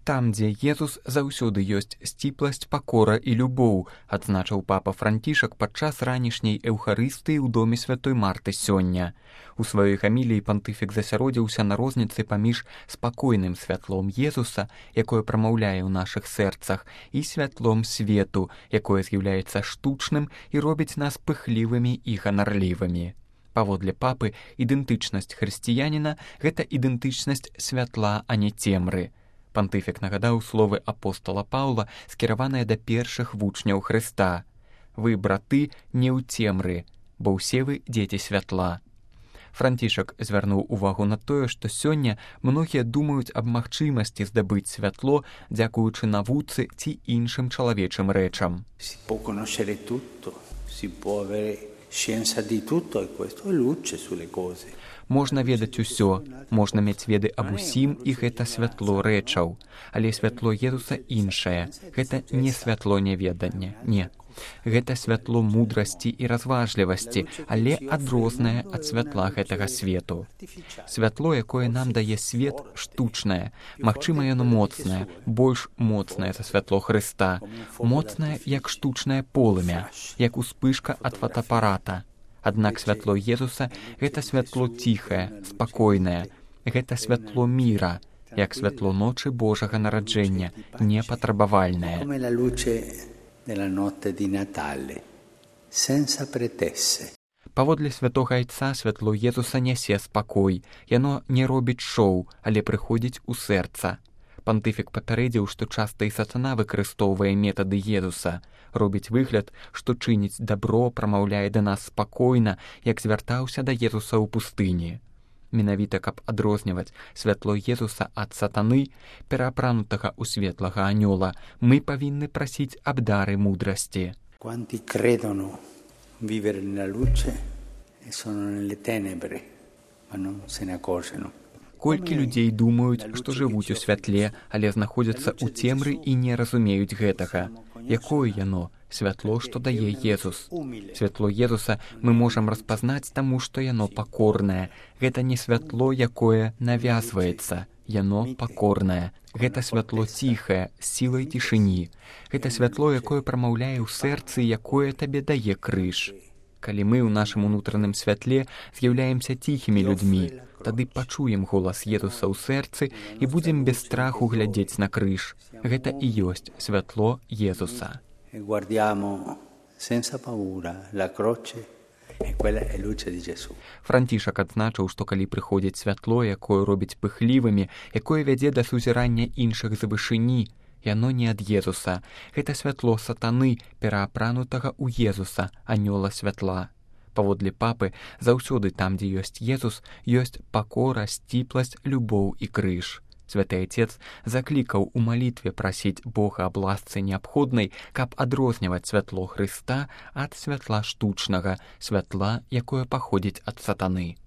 Там, дзе Езус, заўсёды ёсць сціпласць, пакора і любоў, адзначыў папа Францішак падчас ранішняй эўхарыстыі ў доме святой Марты сёння. У сваёй гаміліі пантыфік засяродзіўся на розніцы паміж спакойным святлом Езуса, якое прамаўляе ў нашых сэрцах, і святлом свету, якое з'яўляецца штучным і робіць нас пыхлівымі і ганарлівымі. Паводле папы, ідэнтычнасць хрысціяніна – гэта ідэнтычнасць святла, а не цемры. Пантыфік нагадаў словы апостала Паўла, скіраваныя да першых вучняў Хрыста. «Вы, браты, не ў цемры, бо ўсе вы дзеці святла». Францішак звярнуў увагу на тое, што сёння многія думаюць аб магчымасці здабыць святло, дзякуючы навуцы ці іншым чалавечым рэчам. Можна ведаць усё, можна мець веды аб усім, і гэта святло рэчаў. Але святло Езуса іншае. Гэта не святло няведання, не. Гэта святло мудрасці і разважлівасці, але адрознае ад святла гэтага свету. Святло, якое нам дае свет, штучнае. Магчыма, яно моцнае, больш моцнае за святло Хрыста. Моцнае, як штучнае полымя, як успышка ад фотоапарата. Аднак святло Езуса – гэта святло ціхае, спакойнае. Гэта святло міра, як святло ночы Божага нараджэння, непатрабавальнае. Паводле святога айца святло Езуса нясе спакой. Яно не робіць шоу, але прыходзіць у сэрца. Пантыфік папярэдзіў, што часта і сатана выкарыстоўвае метады Езуса. Робіць выгляд, што чыніць дабро, прамаўляе да нас спакойна, як звяртаўся да Езуса ў пустыні. Менавіта, каб адрозніваць святло Езуса ад сатаны, пераапранутага ў светлага анёла, мы павінны прасіць аб дары мудрасці. Quanti credono vivere nella luce e sono nelle tenebre, ma non se ne accorgono. Колькі людзей думаюць, што жывуць у святле, але знаходзяцца ў цемры і не разумеюць гэтага. Якое яно? Святло, што дае Езус. Святло Езуса мы можам распазнаць таму, што яно пакорнае. Гэта не святло, якое навязваецца. Яно пакорнае. Гэта святло ціхае, з сілай цішыні. Гэта святло, якое прамаўляе ў сэрцы, якое табе дае крыж. Калі мы ў нашым унутраным святле з'яўляемся ціхімі людзьмі, тады пачуем голас Езуса ў сэрцы і будзем без страху глядзець на крыж. Гэта і ёсць святло Езуса. Францішак адзначыў, што калі прыходзіць святло, якое робіць пыхлівымі, якое вядзе да сузірання іншых з вышыні, яно не ад Езуса. Гэта святло сатаны, пераапранутага ў Езуса, анёла святла. Паводле папы, заўсёды там, дзе ёсць Езус, ёсць пакора, сціпласць, любоў і крыж. Святы Айцец заклікаў у малітве прасіць Бога аб ласцы неабходнай, каб адрозніваць святло Хрыста ад святла штучнага, святла, якое паходзіць ад сатаны.